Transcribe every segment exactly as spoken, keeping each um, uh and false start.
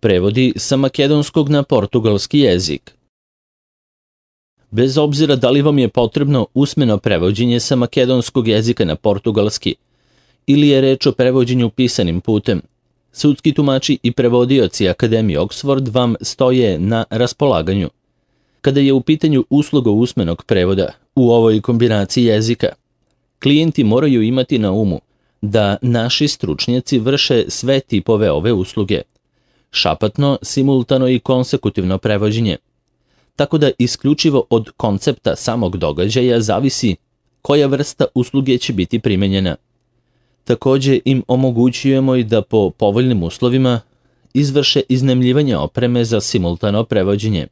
Prevodi sa makedonskog na portugalski jezik. Bez obzira da li vam je potrebno usmeno prevođenje sa makedonskog jezika na portugalski ili je reč o prevođenju pisanim putem, sudski tumači i prevodioci Akademije Oxford vam stoje na raspolaganju. Kada je u pitanju usluga usmenog prevoda u ovoj kombinaciji jezika, klijenti moraju imati na umu da naši stručnjaci vrše sve tipove ove usluge, šapatno, simultano i konsekutivno prevođenje, tako da isključivo od koncepta samog događaja zavisi koja vrsta usluge će biti primenjena. Takođe im omogućujemo i da po povoljnim uslovima izvrše iznajmljivanje opreme za simultano prevođenje.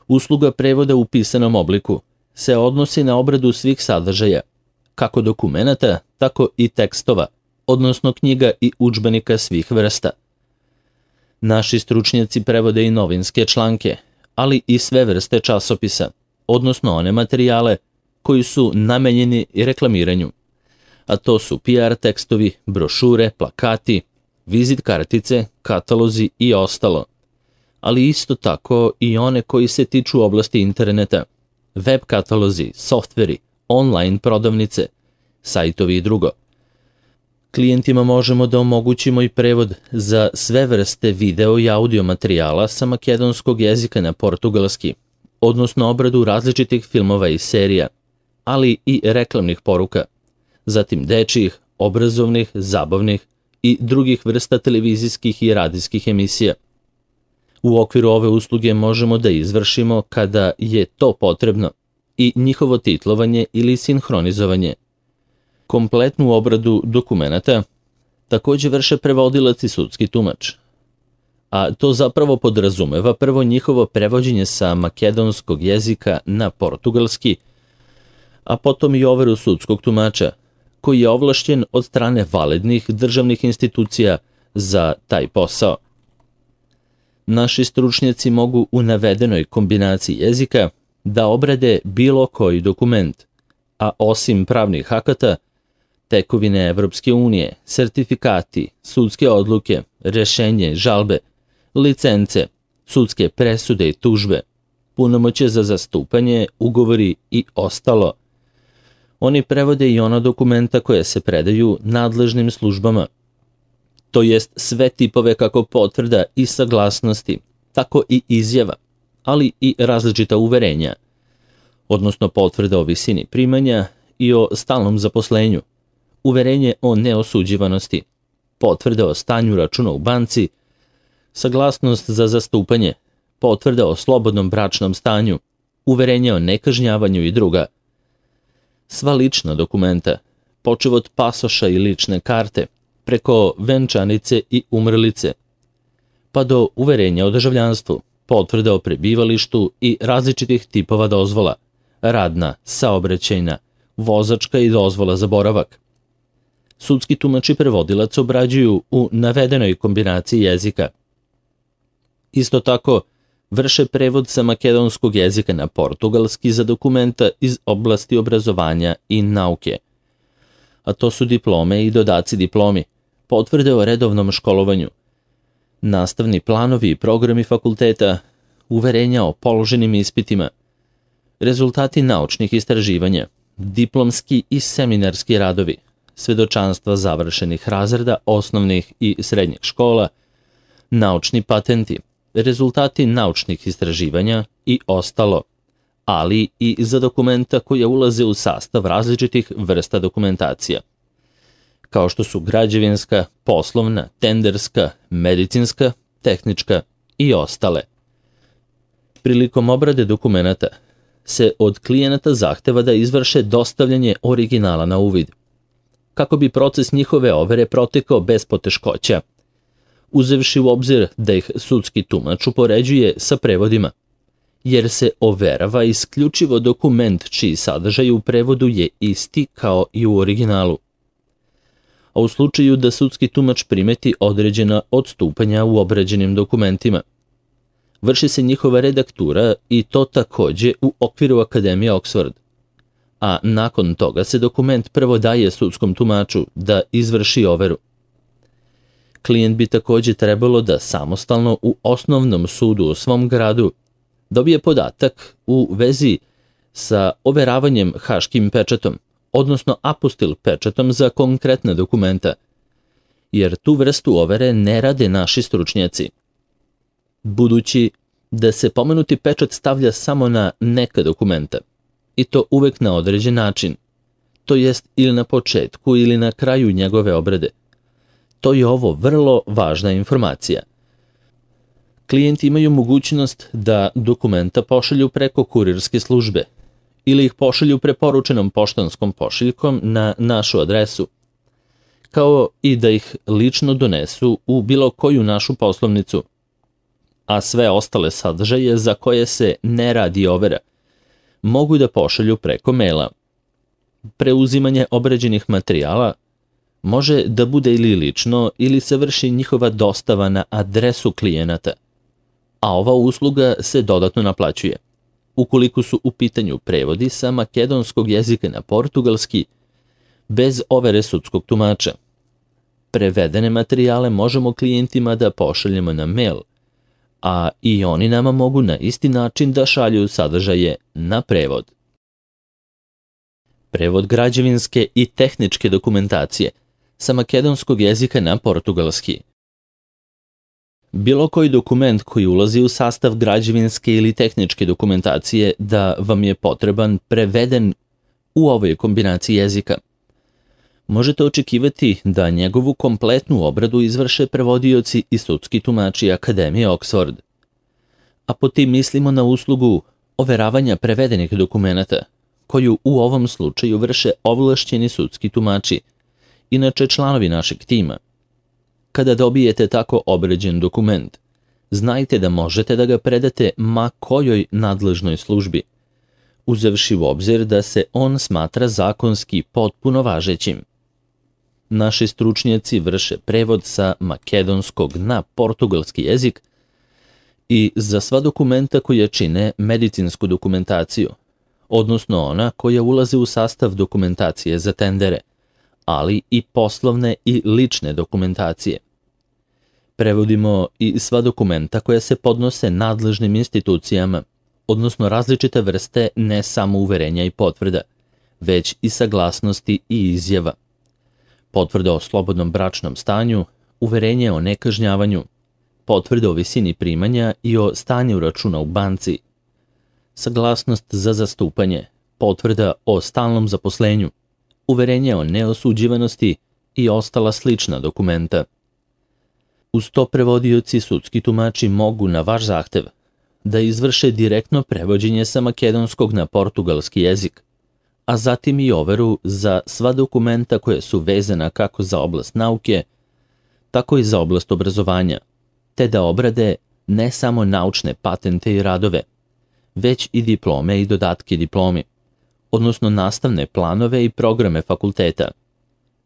Usluga prevoda u pisanom obliku se odnosi na obradu svih sadržaja, kako dokumenata, tako i tekstova, odnosno knjiga i udžbenika svih vrsta. Naši stručnjaci prevode i novinske članke, ali i sve vrste časopisa, odnosno one materijale koji su namenjeni reklamiranju, a to su P R tekstovi, brošure, plakati, vizit kartice, katalozi i ostalo, ali isto tako i one koji se tiču oblasti interneta, web katalozi, softveri, online prodavnice, sajtovi i drugo. Klijentima možemo da omogućimo i prevod za sve vrste video i audio materijala sa makedonskog jezika na portugalski, odnosno obradu različitih filmova i serija, ali i reklamnih poruka, zatim dečjih, obrazovnih, zabavnih i drugih vrsta televizijskih i radijskih emisija. U okviru ove usluge možemo da izvršimo, kada je to potrebno, i njihovo titlovanje ili sinhronizovanje. Kompletnu obradu dokumenata takođe vrše prevodilac i sudski tumač, a to zapravo podrazumeva prvo njihovo prevođenje sa makedonskog jezika na portugalski, a potom i overu sudskog tumača, koji je ovlašćen od strane validnih državnih institucija za taj posao. Naši stručnjaci mogu u navedenoj kombinaciji jezika da obrade bilo koji dokument, a osim pravnih akata, tekovine Evropske unije, sertifikati, sudske odluke, rešenje, žalbe, licence, sudske presude i tužbe, punomoćje za zastupanje, ugovori i ostalo. Oni prevode i ona dokumenta koje se predaju nadležnim službama, to jest sve tipove kako potvrda i saglasnosti, tako i izjava, ali i različita uverenja, odnosno potvrda o visini primanja i o stalnom zaposlenju, uverenje o neosuđivanosti, potvrda o stanju računa u banci, saglasnost za zastupanje, potvrda o slobodnom bračnom stanju, uverenje o nekažnjavanju i druga. Sva lična dokumenta, počev od pasoša i lične karte, preko venčanice i umrlice, pa do uverenja o državljanstvu, potvrda o prebivalištu i različitih tipova dozvola, radna, saobraćajna, vozačka i dozvola za boravak. Sudski tumač i prevodilac obrađuju u navedenoj kombinaciji jezika. Isto tako, vrše prevod sa makedonskog jezika na portugalski za dokumenta iz oblasti obrazovanja i nauke, a to su diplome i dodaci diplomi, potvrde o redovnom školovanju, nastavni planovi i programi fakulteta, uverenja o položenim ispitima, rezultati naučnih istraživanja, diplomski i seminarski radovi, svedočanstva završenih razreda osnovnih i srednjih škola, naučni patenti, rezultati naučnih istraživanja i ostalo, ali i za dokumenta koja ulaze u sastav različitih vrsta dokumentacija, kao što su građevinska, poslovna, tenderska, medicinska, tehnička i ostale. Prilikom obrade dokumenata se od klijenata zahteva da izvrše dostavljanje originala na uvid, kako bi proces njihove overe protekao bez poteškoća, uzevši u obzir da ih sudski tumač upoređuje sa prevodima, jer se overava isključivo dokument čiji sadržaj u prevodu je isti kao i u originalu. A u slučaju da sudski tumač primeti određena odstupanja u obrađenim dokumentima, vrši se njihova redaktura i to takođe u okviru Akademije Oxford, a nakon toga se dokument prvo daje sudskom tumaču da izvrši overu. Klijent bi također trebalo da samostalno u osnovnom sudu u svom gradu dobije podatak u vezi sa overavanjem haškim pečatom, odnosno apostil pečatom za konkretne dokumenta, jer tu vrstu overe ne rade naši stručnjaci. Budući da se pomenuti pečat stavlja samo na neka dokumenta, i to uvek na određen način, to jest ili na početku ili na kraju njegove obrade. To je ovo vrlo važna informacija. Klijenti imaju mogućnost da dokumenta pošalju preko kurirske službe ili ih pošalju preporučenom poštanskom pošiljkom na našu adresu, kao i da ih lično donesu u bilo koju našu poslovnicu, a sve ostale sadržaje za koje se ne radi overa mogu da pošalju preko maila. Preuzimanje obrađenih materijala može da bude ili lično ili se vrši njihova dostava na adresu klijenata, a ova usluga se dodatno naplaćuje ukoliko su u pitanju prevodi sa makedonskog jezika na portugalski bez overe sudskog tumača. Prevedene materijale možemo klijentima da pošaljemo na mail, a i oni nama mogu na isti način da šalju sadržaje na prevod. Prevod građevinske i tehničke dokumentacije sa makedonskog jezika na portugalski. Bilo koji dokument koji ulazi u sastav građevinske ili tehničke dokumentacije da vam je potreban preveden u ovoj kombinaciji jezika. Možete očekivati da njegovu kompletnu obradu izvrše prevodioci i sudski tumači Akademije Oxford. A po tim mislimo na uslugu overavanja prevedenih dokumenata, koju u ovom slučaju vrše ovlašćeni sudski tumači, inače članovi našeg tima. Kada dobijete tako obrađen dokument, znajte da možete da ga predate ma kojoj nadležnoj službi, uzevši u obzir da se on smatra zakonski potpuno važećim. Naši stručnjaci vrše prevod sa makedonskog na portugalski jezik i za sva dokumenta koja čine medicinsku dokumentaciju, odnosno ona koja ulaze u sastav dokumentacije za tendere, ali i poslovne i lične dokumentacije. Prevodimo i sva dokumenta koja se podnose nadležnim institucijama, odnosno različite vrste ne samo uverenja i potvrda, već i saglasnosti i izjava. Potvrda o slobodnom bračnom stanju, uverenje o nekažnjavanju, potvrda o visini primanja i o stanju računa u banci, saglasnost za zastupanje, potvrda o stalnom zaposlenju, uverenje o neosuđivanosti i ostala slična dokumenta. Uz to prevodioci sudski tumači mogu na vaš zahtev da izvrše direktno prevođenje sa makedonskog na portugalski jezik, a zatim i overu za sva dokumenta koje su vezana kako za oblast nauke, tako i za oblast obrazovanja, te da obrade ne samo naučne patente i radove, već i diplome i dodatke diplomi, odnosno nastavne planove i programe fakulteta,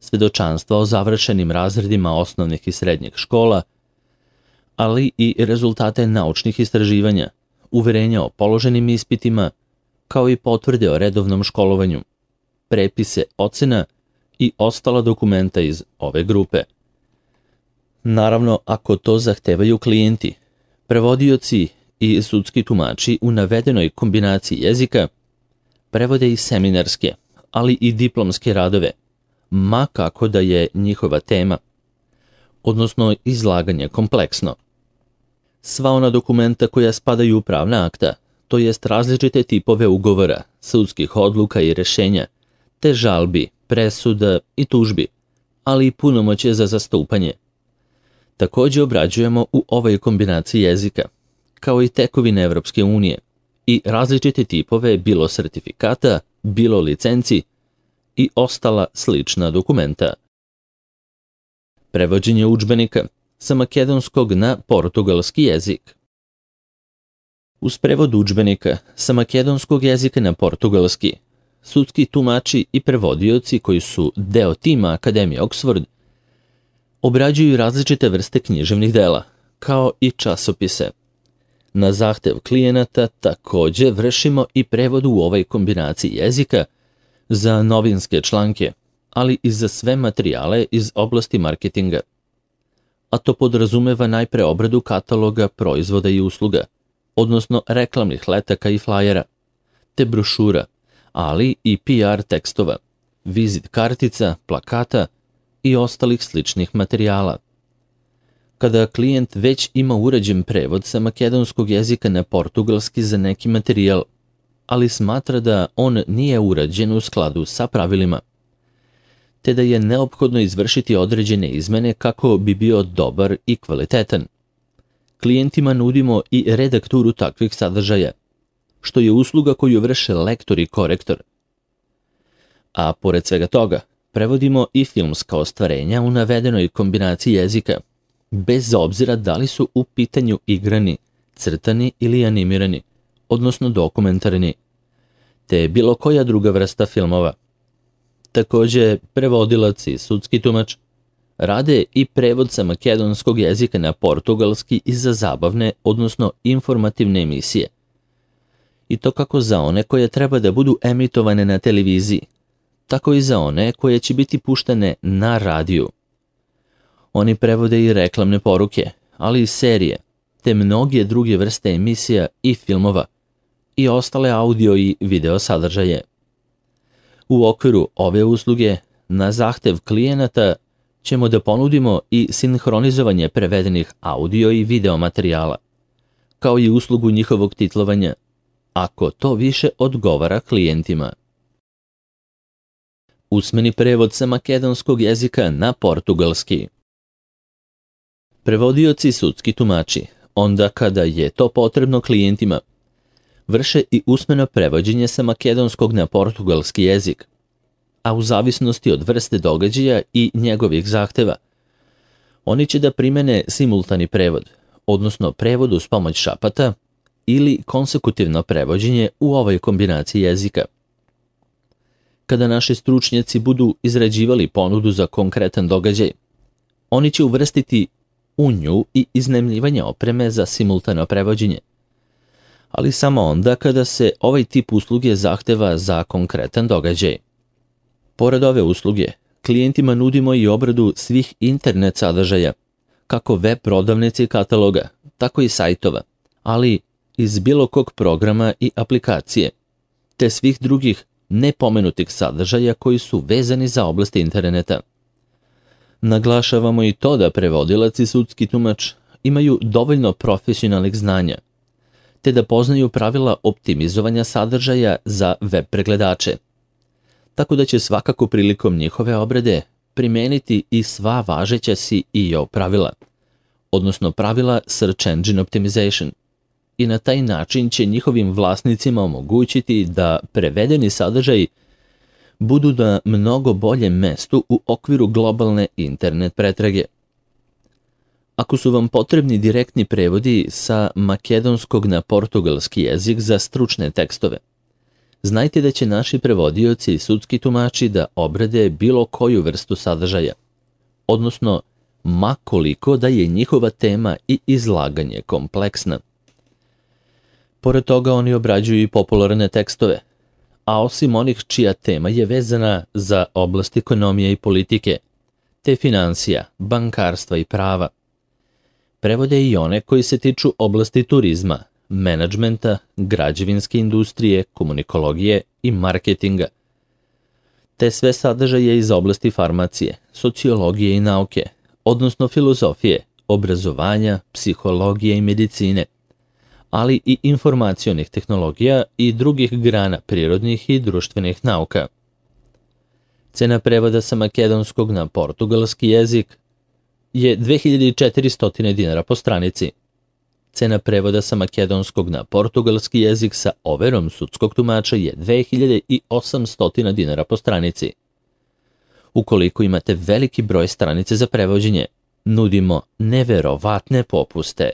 svedočanstva o završenim razredima osnovnih i srednjih škola, ali i rezultate naučnih istraživanja, uverenja o položenim ispitima, kao i potvrde o redovnom školovanju, prepise ocena i ostala dokumenta iz ove grupe. Naravno, ako to zahtevaju klijenti, prevodioci i sudski tumači u navedenoj kombinaciji jezika prevode i seminarske, ali i diplomske radove, ma kako da je njihova tema, odnosno izlaganje kompleksno. Sva ona dokumenta koja spadaju u pravna akta, to jest različite tipove ugovora, sudskih odluka i rešenja, te žalbi, presuda i tužbi, ali i punomoćje za zastupanje. Također obrađujemo u ovoj kombinaciji jezika, kao i tekovine Evropske unije i različite tipove bilo sertifikata, bilo licenci i ostala slična dokumenta. Prevođenje udžbenika sa makedonskog na portugalski jezik. Uz prevod udžbenika sa makedonskog jezika na portugalski, sudski tumači i prevodioci koji su deo tima Akademije Oxford obrađuju različite vrste književnih dela, kao i časopise. Na zahtev klijenata također vršimo i prevod u ovoj kombinaciji jezika za novinske članke, ali i za sve materijale iz oblasti marketinga. a to podrazumeva najpre obradu kataloga proizvoda i usluga, odnosno reklamnih letaka i flajera, te brošura, ali i P R tekstova, vizit kartica, plakata i ostalih sličnih materijala. Kada klijent već ima uređen prevod sa makedonskog jezika na portugalski za neki materijal, ali smatra da on nije urađen u skladu sa pravilima, te da je neophodno izvršiti određene izmene kako bi bio dobar i kvalitetan. Klijentima nudimo i redakturu takvih sadržaja, što je usluga koju vrše lektor i korektor. A pored svega toga, prevodimo i filmska ostvarenja u navedenoj kombinaciji jezika, bez obzira da li su u pitanju igrani, crtani ili animirani, odnosno dokumentarni, te bilo koja druga vrsta filmova. Takođe, prevodilac i sudski tumač rade i prevod sa makedonskog jezika na portugalski i za zabavne, odnosno informativne emisije. I to kako za one koje treba da budu emitovane na televiziji, tako i za one koje će biti puštene na radiju. Oni prevode i reklamne poruke, ali i serije, te mnoge druge vrste emisija i filmova i ostale audio i video sadržaje. U okviru ove usluge, na zahtev klijenata, ćemo da ponudimo i sinhronizovanje prevedenih audio i video materijala, kao i uslugu njihovog titlovanja, ako to više odgovara klijentima. Usmeni prevod sa makedonskog jezika na portugalski. Prevodioci i sudski tumači, onda kada je to potrebno klijentima, vrše i usmeno prevođenje sa makedonskog na portugalski jezik, a u zavisnosti od vrste događaja i njegovih zahteva, oni će da primene simultani prevod, odnosno prevod uz pomoć šapata ili konsekutivno prevođenje u ovoj kombinaciji jezika. Kada naši stručnjaci budu izrađivali ponudu za konkretan događaj, oni će uvrstiti u nju i iznajmljivanje opreme za simultano prevođenje, ali samo onda kada se ovaj tip usluge zahteva za konkretan događaj. Pored ove usluge, klijentima nudimo i obradu svih internet sadržaja, kako web prodavnice i kataloga, tako i sajtova, ali iz bilo kog programa i aplikacije, te svih drugih nepomenutih sadržaja koji su vezani za oblast interneta. Naglašavamo i to da prevodilac i sudski tumač imaju dovoljno profesionalnih znanja, te da poznaju pravila optimizovanja sadržaja za web pregledače, tako da će svakako prilikom njihove obrade primeniti i sva važeća S E O pravila, odnosno pravila Search Engine Optimization, i na taj način će njihovim vlasnicima omogućiti da prevedeni sadržaj budu na mnogo boljem mestu u okviru globalne internet pretrage. Ako su vam potrebni direktni prevodi sa makedonskog na portugalski jezik za stručne tekstove, znajte da će naši prevodioci i sudski tumači da obrade bilo koju vrstu sadržaja, odnosno ma koliko da je njihova tema i izlaganje kompleksna. Pored toga oni obrađuju i popularne tekstove, a osim onih čija tema je vezana za oblast ekonomije i politike, te financija, bankarstva i prava, prevode i one koji se tiču oblasti turizma, menadžmenta, građevinske industrije, komunikologije i marketinga, te sve sadržaje iz oblasti farmacije, sociologije i nauke, odnosno filozofije, obrazovanja, psihologije i medicine, ali i informacionih tehnologija i drugih grana prirodnih i društvenih nauka. Cena prevoda sa makedonskog na portugalski jezik je dve hiljade četiristo dinara po stranici. Cena prevoda sa makedonskog na portugalski jezik sa overom sudskog tumača je dve hiljade osamsto dinara po stranici. Ukoliko imate veliki broj stranice za prevođenje, nudimo neverovatne popuste.